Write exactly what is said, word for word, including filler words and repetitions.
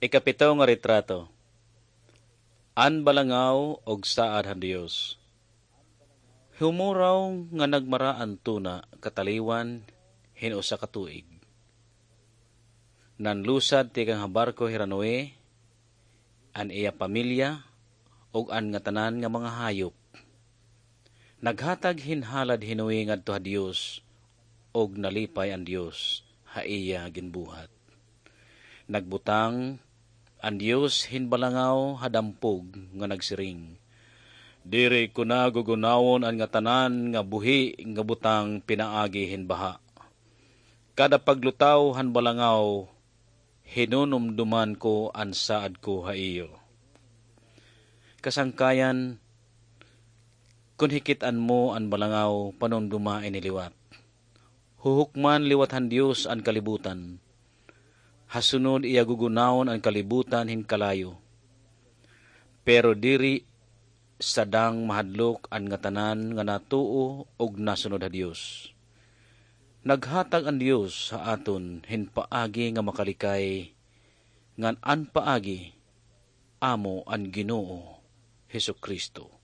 Ikapito nga retrato. An balangaw ug saad han Dios. Humuraw nga nagmara an tuna kataliwan hin usa ka tuig. Nanlusad tikang ha barko hi Noe, an iya pamilya, ug an ngatanan nga mga hayop. Naghatag hin halad hi Noe ngadto ha Dios, ug nalipay an Dios ha iya ginbuhat. Nagbutang an Dios hin balangaw ha dampog nga nagsiring, "Diri ko na gugunawon an ngatanan nga buhi nga butang pinaagi hin baha. Kada paglutaw han balangaw, hinunumduman ko an saad ko ha iyo." Kasangkayan, kon hikit-an mo an balangaw, panumduma ini liwat. Huhukman liwat han Dios an kalibutan. Ha sunod iya gugunawon an kalibutan hin kalayo. Pero diri sadang mahadlok an ngatanan nga natuo ug nasunod ha Dios. Naghatag an Dios ha aton hin paagi nga makalikay, ngan an paagi amo an Ginoo Jesu-Cristo.